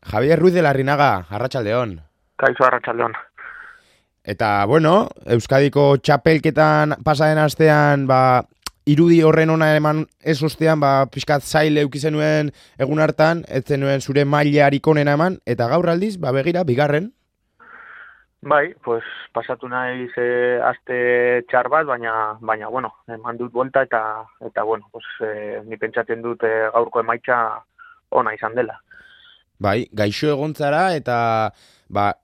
Javier Ruiz de Larrinaga, arratsaldeon. Kaixo arratsaldeon. Eta, bueno, Euskadiko txapelketan pasaden astean, irudi horren ona eman ez ostean, pixkat zail euki zenuen egun hartan, ez zenuen zure mailarik onena eman, eta gaur aldiz, begira, bigarren. Bai, pues pasatu naiz aste txar bat, baina bueno, eman dut buelta eta bueno, pues ni pentsatzen dut gaurko emaitza ona izan dela. Bai, gaixo egontzara eta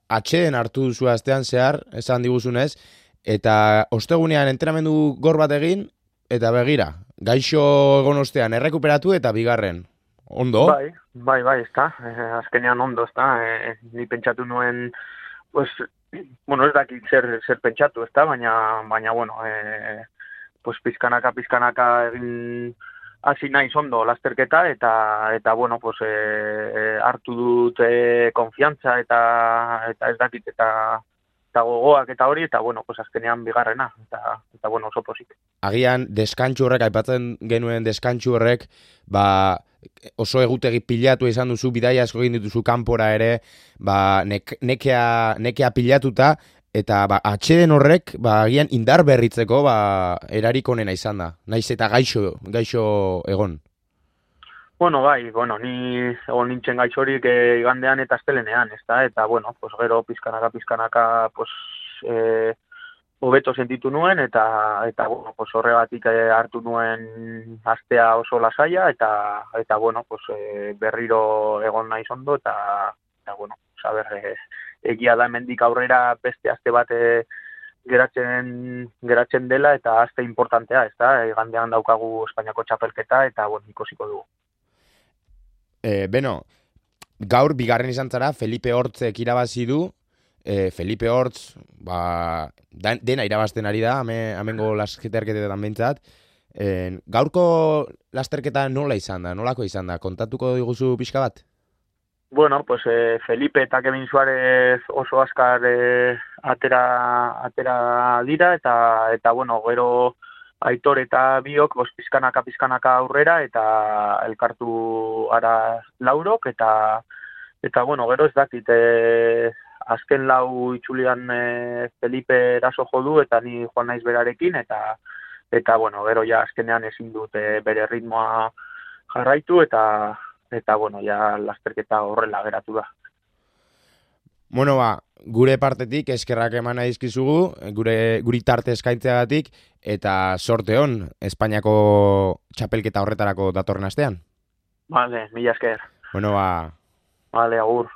atxeden hartu duzu astean zehar, esan diguzunez, eta ostegunean entrenamendu gor bat egin, eta begira, gaixo egon ostean errekuperatu eta bigarren. Ondo? Bai, ezta. Azkenean ondo, ezta. Ni pentsatu nuen, pues, bueno, ez dakit zer pentsatu, ezta, baina bueno, pues pizkanaka egin hasi naiz ondo lasterketa eta bueno, pues hartu dut konfiantza eta ez dakit eta gogoak eta hori, eta bueno, pues azkenean bigarrena eta bueno, oso pozik. Agian deskantsu horrek, aipatzen genuen deskantsu horrek, oso egutegi pilatu izan duzu, bidaia asko egin dituzu kanpora ere, nekea pilatuta, eta atxeden horrek, agian indar berritzeko, erarik onena izan da. Naiz eta gaixo egon. Bueno, ni egon nintzen gaixorik igandean eta astelenean, ezta? Eta bueno, pues gero pizkanaka, pues hobeto sentitu nuen eta bueno, pues horregatik hartu nuen astea oso lasaia eta bueno, pues berriro egon naiz ondo eta bueno, saber egia da hemendik aurrera beste aste bat geratzen dela eta aste importantea, ezta? Igandean daukagu Espainiako txapelketa eta bueno, ikusiko dugu. Beno, gaur bigarren izan zara, Felipe Hortzek irabazi du. Felipe Hortz, dena irabazten ari da, amengo lasterketetan behintzat. Gaurko lasterketa nolako izan da? Kontatuko diguzu pixka bat? Bueno, pues Felipe eta Kevin Suárez oso azkar atera dira eta bueno, gero Aitor eta biok pizkanaka aurrera eta elkartu ara laurok eta bueno, gero ez dakit azken lau itzulian Felipe eraso jo du eta ni joan naiz berarekin eta bueno, gero ja azkenean ezin dut bere ritmoa jarraitu eta bueno, ja lasterketa horrela geratu da. Bueno, gure partetik eskerrak eman dizkizugu, guri tarte eskaintzeagatik, eta sorte on, Espainiako txapelketa horretarako datorren astean. Vale, mila esker. Bueno, Vale, agur.